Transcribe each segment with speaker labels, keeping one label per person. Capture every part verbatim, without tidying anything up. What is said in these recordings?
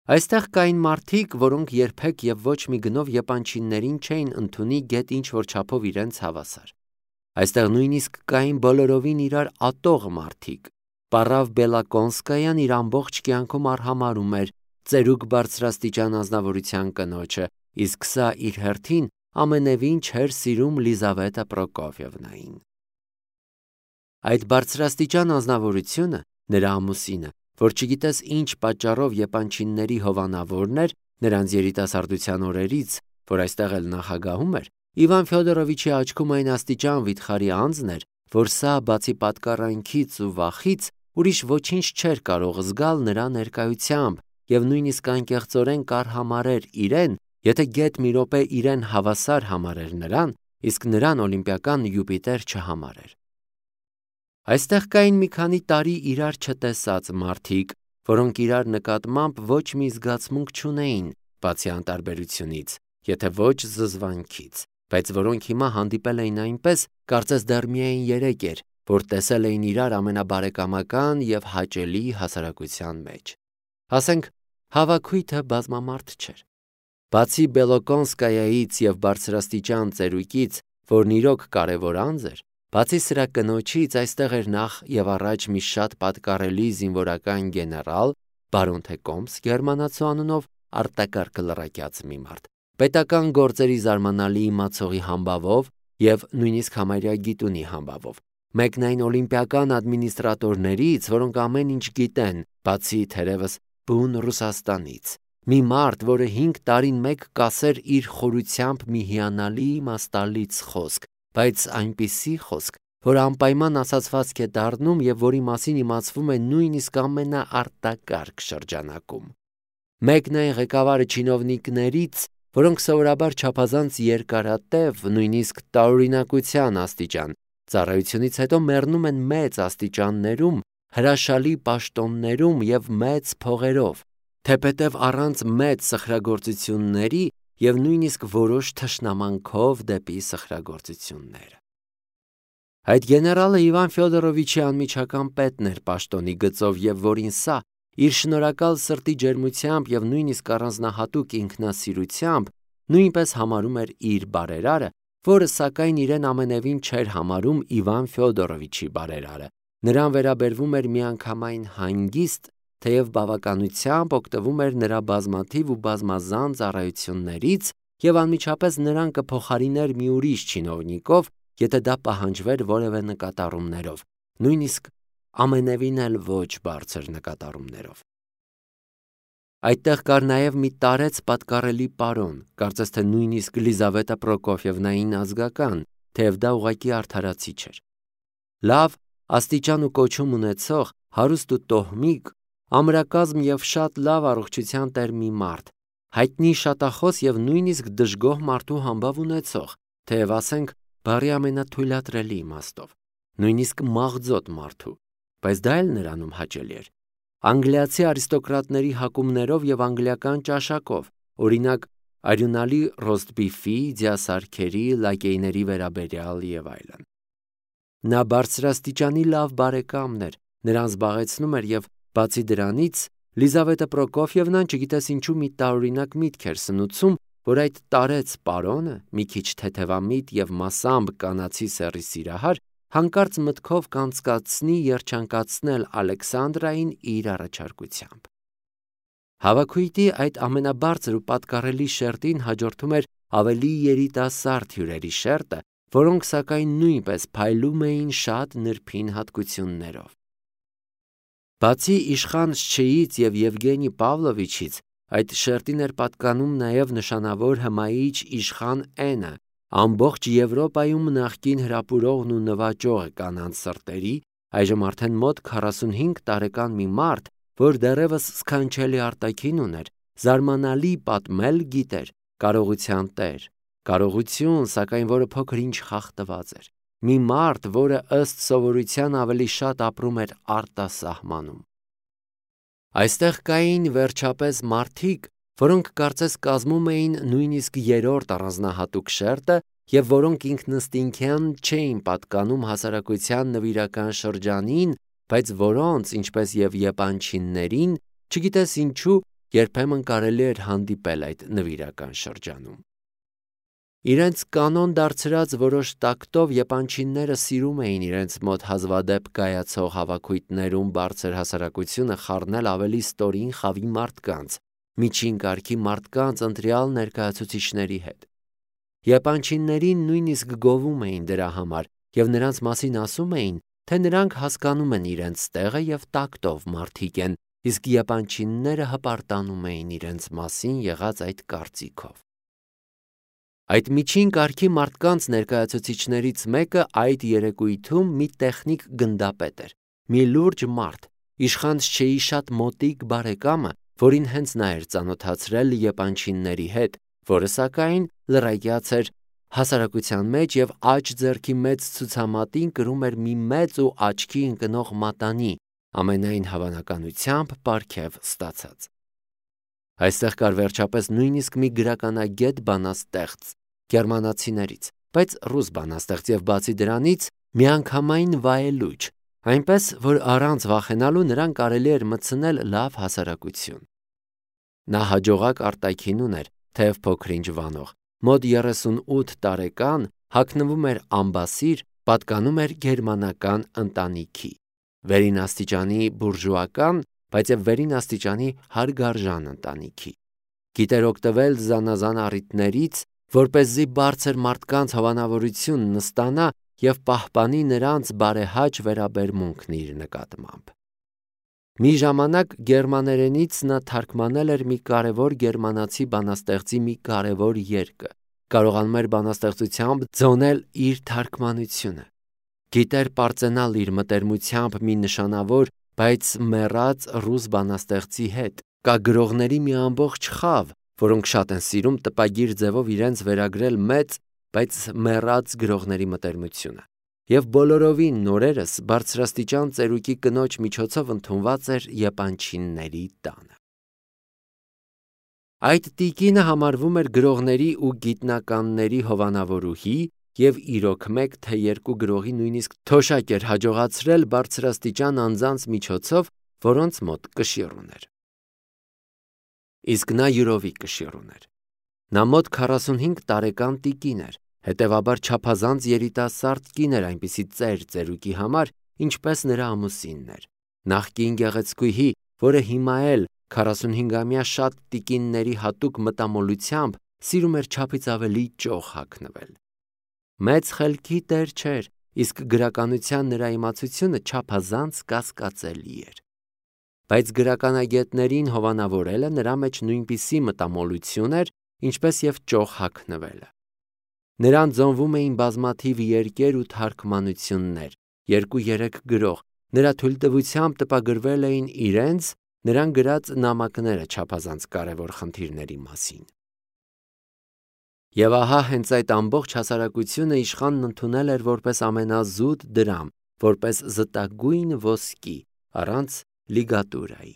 Speaker 1: Այստեղ կային մարդիկ, որոնք երբեք և ոչ մի գնով եպանչիներին չէին ընդունի գետ ինչ-որ չափով իրենց հավասար։ Այստեղ նույնիսկ կային բոլորովին իրար ատող մարդիկ։ Պարավ Բելակոնսկայան իր ամբողջ կյանքում արհամարհում էր ծերուկ բարձրաստիճան անձնավորության կնոջը, իսկ սա իր հերթին ամենևին չէր սիրում Լիզավետա Պրոկոֆիևնային։ Այդ բարձրաստիճան անձնավորությունը, նրա ամուսինը, որ չգիտես ինչ պատճառով եպանչիների հովանավորն էր նրանց երիտասարդության օրերից, որ այստեղ էլ նախագահում էր, Իվան Ֆյոդորովիչի աչքում այն աստիճան վիթխարի անձն էր, որ սա բացի պատկառանքից ու վախից ուրիշ ոչինչ չէր կարող զգալ նրա ներկայությամբ և նույնիսկ անկեղծորեն կարհամարհեր իրեն, եթե գեթ մի րոպե իրեն հավասար համարեր նրան, իսկ նրան օլիմպիական Յուպիտեր չհամարեր։ Այստեղ կային մի քանի տարի իրար չտեսած մարդիկ, որոնք իրար նկատմամբ ոչ մի զգացմունք չունեին, բացի անտարբերությունից, եթե ոչ զզվանքից, բայց որոնք հիմա հանդիպել էին այնպես, կարծես դեռ միայն երեկ էր, որ տեսել էին իրար ամենաբարեկամական և հաճելի հասարակության մեջ։ Ասենք, հավաքույթը բազմամարդ չէր։ Բացի Բելոկոնսկայայից և բարձրաստիճան ծերուկից, որն իրոք կարևոր անձ էր, բացի սրա կնոջից այստեղ էր նախ և առաջ մի շատ պատկառելի զինվորական գեներալ, բարոն Թեկոմս գերմանացու անունով արտակարգ լրակյաց մի մարդ, պետական գործերի զարմանալի իմացողի համբավով և նույնիսկ համարյա գիտունի համբավով, մեկն այն օլիմպիական ադմինիստրատորներից, որոնք ամեն ինչ գիտեն, բացի թերևս բուն Ռուսաստանից, մի մարդ, որը հինգ տարին մեկ կասեր իր խորությամբ մի հիանալի իմաստալից խոսք, բայց այնպիսի խոսք, որ անպայման ասացվածք է դառնում և որի մասին իմացվում է նույնիսկ ամենաարտակարգ շրջանակում։ Մեկն այն ղեկավարը չինովնիկներից, որոնք սովորաբար չափազանց երկարատև, նույնիսկ տարօրինակության աստիճան, ծառայությունից հետո մեռնում են մեծ աստիճաններում, հրաշալի պաշտոններում և մեծ փողերով, թեպետև առանց մեծ սխրագործությունների և նույնիսկ որոշ թշնամանքով դեպի սխրագործությունները։ Այդ գեներալը Իվան Ֆյոդորովիչի անմիջական պետն էր պաշտոնի գծով և որին սա իր շնորհակալ սրտի ջերմությամբ և նույնիսկ առանձնահատուկ ինքնասիրությամբ նույնպես համարում էր իր բարերարը, որը սակայն իրեն ամենևին չէր համարում Իվան Ֆյոդորովիչի բարերարը, նրան վերաբերվում էր միանգամայն հանգիստ, թեև բավականությամբ օգտվում էր նրա բազմաթիվ ու բազմազան ծառայություններից և անմիջապես նրան կփոխարիներ մի ուրիշ չինովնիկով, եթե դա պահանջվեր որևէ նկատառումներով, նույնիսկ ամենևին էլ ոչ բարձր նկատառումներով։ Այդտեղ կար նաև մի տարեց պատկառելի պարոն, կարծես թե նույնիսկ Լիզավետա Պրոկոֆիևնային ազգական, թեև դա ուղղակի արդարացի չէր։ Լավ, աստիճան ու կոչում ունեցող, հարուստ ու տոհմիկ, ամրակազմ և շատ լավ առողջության տեր մի մարդ, հայտնի շատախոս և նույնիսկ դժգոհ մարդու համբավ ունեցող, թեև ասենք բառի ամենաթույլատրելի իմաստով, նույնիսկ մաղձոտ մարդու, բայց դա էլ նրանում հաճելի էր։ Անգլիացի արիստոկրատների հակումներով և անգլիական ճաշակով, օրինակ արյունալի ռոստբիֆի, ձիասարքերի, լակեյների վերաբերյալ և այլն։ Նա բարձրաստիճանի լավ բարեկամն էր, նրան զբաղեցնում էր և բացի դրանից Լիզավետա Պրոկոֆիևնան չգիտես ինչու մի տարօրինակ միտք էր սնուցում, որ այդ տարեց պարոնը, մի քիչ թեթևամիտ և մասամբ կանացի սեռի սիրահար, հանկարծ մտքով կանցկացնի երջանկացնել Ալեքսանդրային իր առաջարկությամբ։ Հավաքույթի այդ ամենաբարձր ու պատկառելի շերտին հաջորդում էր ավելի երիտասարդ հյուրերի շերտը, որոնք սակայն նույնպես փայլում էին շատ նրբին հատկություններով։ Բացի իշխան Շչեից և Եվգենի Պավլովիչից, այդ շերտին էր պատկանում նաև նշանավոր հմայիչ իշխան Էնը, ամբողջ Եվրոպայում նախկին հրապուրողն ու նվաճողը կանանց սրտերի, այժմ արդեն մոտ քառասունհինգ տարեկան մի մարդ, որ դեռևս սքանչելի արտաքին ուներ, զարմանալի պատմել գիտեր, կարողության տեր, կարողություն, սակայն որը փոքր-ինչ խախտված էր, մի մարդ, որը ըստ սովորության ավելի շատ ապրում էր արտասահմանում։ Այստեղ կային վերջապես մարդիկ, որոնք կարծես կազմում էին նույնիսկ երրորդ առանձնահատուկ շերտը և որոնք ինքնըստինքյան չէին պատկանում հասարակության նվիրական շրջանին, բայց որոնց, ինչպես և եպանչիներին, չգիտես ինչու, երբեմն կարելի էր հանդիպել այդ նվիրական շրջանում։ Իրենց կանոն դարձրած որոշ տակտով եպանչինները սիրում էին իրենց մոտ հազվադեպ կայացող հավաքույթներում բարձր հասարակությունը խառնել ավելի ստորին խավի մարդկանց, միջին կարգի մարդկանց ընտրյալ ներկայացուցիչների հետ։ Եպանչիններին նույնիսկ գովում էին դրա համար և նրանց մասին ասում էին, թե նրանք հասկանում են իրենց տեղը և տակտով մարդիկ են, իսկ եպանչինները հպարտանում էին իրենց մասին եղած այդ կարծիքով։ Այդ միջին կարգի մարդկանց ներկայացուցիչներից մեկը այդ երեկույթում մի տեխնիկ գնդապետ էր, մի լուրջ մարդ, իշխանչեի շատ մոտիկ բարեկամը, որին հենց նա էր ծանոթացրել եպանչինների հետ, որը սակայն լռայկյաց էր հասարակության մեջ և աջ ձեռքի մեծ ցուցամատին կրում էր մի մեծ ու աչքի ընկնող մատանի, ամենայն հավանականությամբ պարգև ստացած։ Այստեղ կար վերջապես նույնիսկ մի գրականագետ բանաստեղծ գերմանացիներից, բայց ռուս բանաստեղծ և բացի դրանից միանգամայն վայելուչ, այնպես որ առանց վախենալու նրան կարելի էր մտցնել լավ հասարակություն։ Նա հաջողակ արտաքին ուներ, թեև փոքր-ինչ վանող, մոտ երեսունութ տարեկան, հագնվում էր ամբասիր, պատկանում էր գերմանական ընտանիքի, վերին աստիճանի բուրժուական, բայց և վերին աստիճանի հարգարժան ընտանիքի։ Գիտեր օգտվել զանազան առիթներից, որպեսզի բարձր մարդկանց հովանավորությունն ստանա և պահպանի նրանց բարեհաճ վերաբերմունքն իր նկատմամբ։ Մի ժամանակ գերմաներենից նա թարգմանել էր մի կարևոր գերմանացի բանաստեղծի մի կարևոր երգը, կարողանում էր բանաստեղծությամբ ձոնել իր թարգմանությունը։ Գիտեր պարծենալ իր մտերմությամբ մի նշանավոր, բայց մեռած ռուս բանաստեղծի հետ։ Կա գրողների մի ամբողջ խավ, որոնք շատ են սիրում տպագիր ձևով իրենց վերագրել մեծ, բայց մեռած գրողների մտերմությունը։ Եվ բոլորովին նորերս բարձրաստիճան ծերուկի կնոջ միջոցով ընդունված էր եպանչինների տանը։ Այդ տիկինը համարվում էր գրողների ու գիտնականների հովանավորուհի և իրոք մեկ թե երկու գրողի նույնիսկ թոշակ էր հաջողացրել բարձրաստիճան անձանց միջոցով, որոնց մոտ կշիռ ուներ։ Իսկ նա յուրովի կշիռ ուներ։ Նա մոտ քառասունհինգ տարեկան տիկին էր, հետևաբար չափազանց երիտասարդ կին էր այնպիսի ծեր ծերուկի համար, ինչպես նրա ամուսինն էր, նախկին գեղեցկուհի, որը հիմա էլ քառասունհինգամյա շատ տիկինների հատուկ մտամոլությամբ սիրում էր չափից ավելի ճոխ հագնվել։ Մեծ խելքի տեր չէր, իսկ գրականության նրա իմացությունը չափազանց կասկածելի էր։ Բայց գրականագետներին հովանավորելը նրա մեջ նույնպիսի մտամոլություն էր, ինչպես և ճոխ հագնվելը։ Նրան ձոնվում էին բազմաթիվ երկեր ու թարգմանություններ, երկու-երեք գրող, նրա թույլտվությամբ տպագրվել էին իրենց, նրան գրած նամակները չափազանց կարևոր խնդիրների մասին։ Եվ ահա հենց այդ ամբողջ հասարակությունը իշխանն ընդունել էր որպես ամենազուտ դրամ, որպես զտագույն ոսկի, առանց լիգատուրայի։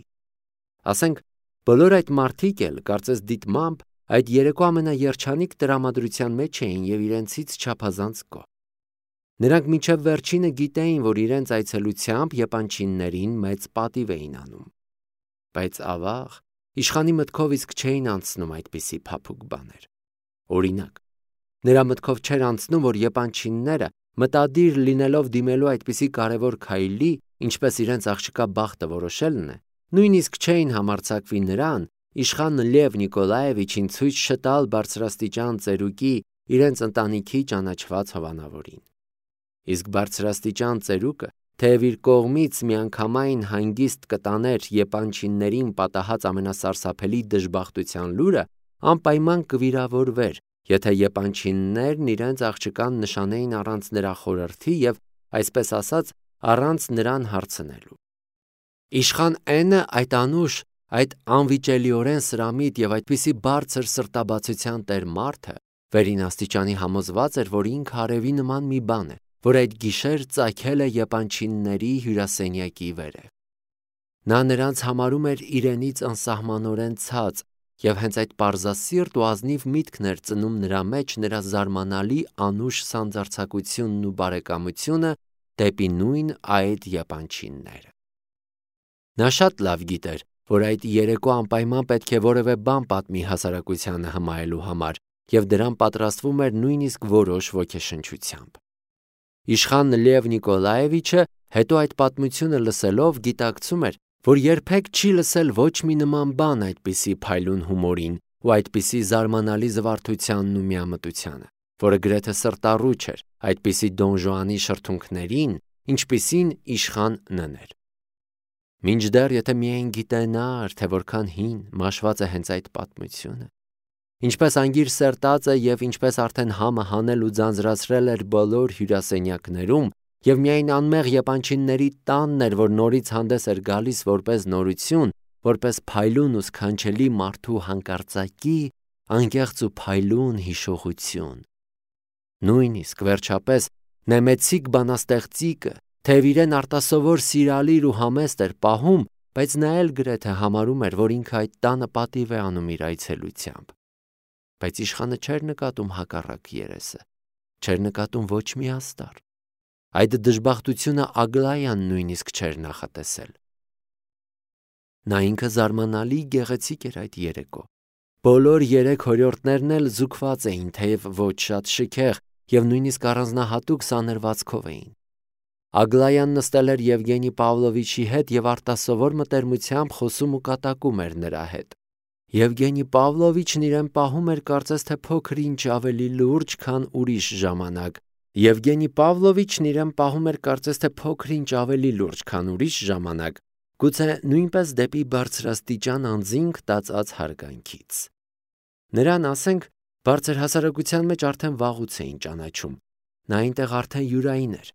Speaker 1: Ասենք, բոլոր այդ մարդիկ էլ, կարծես դիտմամբ, այդ երեկո ամենաերջանիկ տրամադրության մեջ էին և իրենցից չափազանց գոհ։ Նրանք մինչև վերջինը գիտեին, որ իրենց այցելությամբ եպանչիններին մեծ պատիվ էին անում։ Բայց ավաղ, իշխանի մտքով իսկ չէին անցնում այդպիսի փափուկ բաներ։ Օրինակ, նրա մտքով չէր անցնում, որ եպանչինները, մտադիր լինելով դիմելու այդպիսի կարևոր քայլի, ինչպես իրենց աղջկա բախտը որոշելն է, նույնիսկ չէին համարձակվի նրան, իշխան Լև Նիկոլաևիչին ցույց չտալ բարձրաստիճան ծերուկի իրենց ընտանիքի ճանաչված հովանավորին։ Իսկ բարձրաստիճան ծերուկը, թեև իր կողմից միանգամայն հանգիստ կտաներ եպանչիններին պատահած ամենասարսափելի դժբախտության լուրը, անպայման կվիրավորվեր, եթե եպանչիններն իրենց աղջկան նշանեին առանց նրա խորհրդի և, այսպես ասած, առանց նրան հարցնելու։ Իշխան N-ը այդ անուշ, այդ անվիճելիորեն սրամիտ և այդպիսի բարձր սրտաբացության տեր մարդը վերին աստիճանի համոզված էր, որ ինքը արևի նման մի բան է, որ այդ գիշեր ծագել է եպանչինների հյուրասենյակի վերև։ Նա նրանց համարում էր իրենից անսահմանորեն ցած և հենց այդ պարզասիրտ ու ազնիվ միտքն էր ծնում նրա մեջ նրա զարմանալի անուշ սանձարձակությունն ու բարեկամությունը դեպի նույն այդ եպանչինները։ Նա շատ լավ գիտեր, որ այդ երեկո անպայման պետք է որևէ բան պատմի հասարակությանը հմայելու համար, և դրան պատրաստվում էր նույնիսկ որոշ ոգեշնչությամբ։ Իշխան Լև Նիկոլաևիչը հետո այդ պատմությունը լսելով գիտակցում էր, որ երբեք չի լսել ոչ մի նման բան այդպիսի փայլուն հումորին ու այդպիսի զարմանալի զվարթությանն ու միամտությանը, որը գրեթե սրտառուչ էր այդպիսի Դոն Ժուանի շրթունքներին, ինչպիսին իշխան Ն-ն էր։ Մինչդեռ եթե միայն գիտենար, թե որքան հին, մաշված է հենց այդ պատմությունը, ինչպես անգիր սերտած է և ինչպես արդեն համը հանել ու ձանձրացրել էր բոլոր հյուրասենյակներում, և միայն անմեղ եպանչինների տանն էր, որ նորից հանդես էր գալիս որպես նորություն, որպես փայլուն ու սքանչելի մարդու հանկարծակի, անկեղծ ու փայլուն հիշողություն։ Նույնիսկ վերջապես նեմեցիկ բանաստեղծիկը, թեև իրեն արտասովոր սիրալիր ու համեստ էր պահում, բայց նա էլ գրեթե համարում էր, որ ինքը այդ տանը պատիվ է անում իր այցելությամբ։ Բայց իշխանը չէր նկատում հակառակ երեսը, չէր նկատում ոչ մի աստար։ Այդ դժբախտությունը Ագլայան նույնիսկ չէր նախատեսել։ Նա ինքը զարմանալի գեղեցիկ էր այդ երեկո։ Բոլոր երեք հորյորդներն էլ զուգված էին, թեև ոչ շատ շքեղ, և նույնիսկ առանձնահատուկ սանրվածքով էին։ Ագլայան նստել էր Եվգենի Պավլովիչի հետ և արտասովոր մտերմությամբ խոսում ու կատակում էր նրա հետ։ Եվգենի Պավլովիչն իրեն պահում էր կարծես թե փոքր ինչ ավելի լուրջ, քան ուրիշ ժամանակ, Եվգենի Պավլովիչն իրեն պահում էր կարծես թե փոքր ինչ ավելի լուրջ, քան ուրիշ ժամանակ, գուցե նույնպես դեպի բարձրաստիճան անձինք տածած հարգանքից։ Նրան, ասենք, բարձր հասարակության մեջ արդեն վաղուց էին ճանաչում, նա այնտեղ արդեն յուրային էր,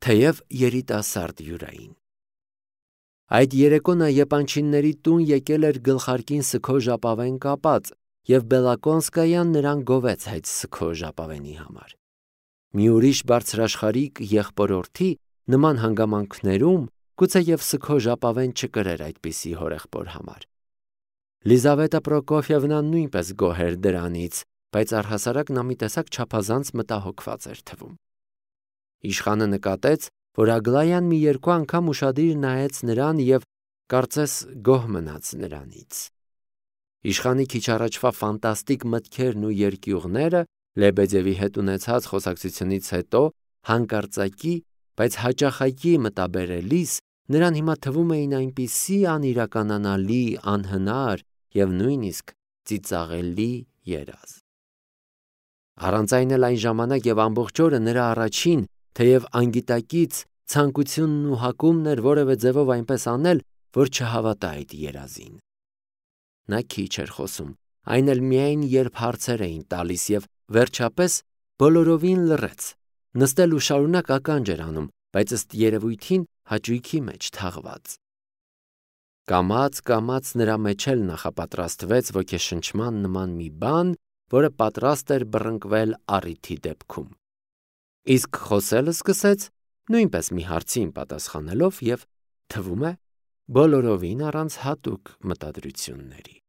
Speaker 1: թեև երիտասարդ յուրային։ Այդ երեկո նա եպանչինների տուն եկել էր գլխարկին սգո ժապավեն կապած, և Բելակոնսկայան նրան գովեց այդ սգո ժապավենի համար։ Մի ուրիշ բարձրաշխարհիկ եղբորորդի նման հանգամանքներում գուցեև սգո ժապավեն չկրեր այդպիսի հորեղբոր համար։ Լիզավետա Պրոկոֆյևնան նույնպես գոհ էր դրանից, բայց առհասարակ նա մի տեսակ չափազանց մտահոգված էր թվում։ Իշխանը նկատեց, որ Ագլայան մի երկու անգամ ուշադիր նայեց նրան և կարծես գոհ մնաց նրանից։ Իշխանի քիչ առաջվա ֆանտաստիկ մտքերն ու երկյուղները Լեբեդևի հետ ունեցած խոսակցությունից հետո հանկարծակի, բայց հաճախակի մտաբերելիս նրան հիմա թվում էին այնպիսի անիրականանալի, անհնար և նույնիսկ ծիծաղելի երազ։ Առանց այն էլ այն ժամանակ և ամբողջ օրը նրա առաջին, թեև անգիտակից ցանկությունն ու հակումն էր որևէ ձևով այնպես անել, որ չհավատա այդ երազին։ Նա քիչ էր խոսում, այն էլ միայն երբ հարցեր էին տալիս, և վերջապես բոլորովին լռեց, նստել ու շարունակ ականջ էր անում, բայց ըստ երևույթին հաճույքի մեջ թաղված։ Կամաց-կամաց նրա մեջ էլ նախապատրաստվեց ոգեշնչման նման մի բան, որը պատրաստ էր բռնկվել առիթի դեպքում։ Իսկ խոսել սկսեց նույնպես մի հարցին պատասխանելով և, թվում է, բոլորովին առանց հատուկ մտադրությունների։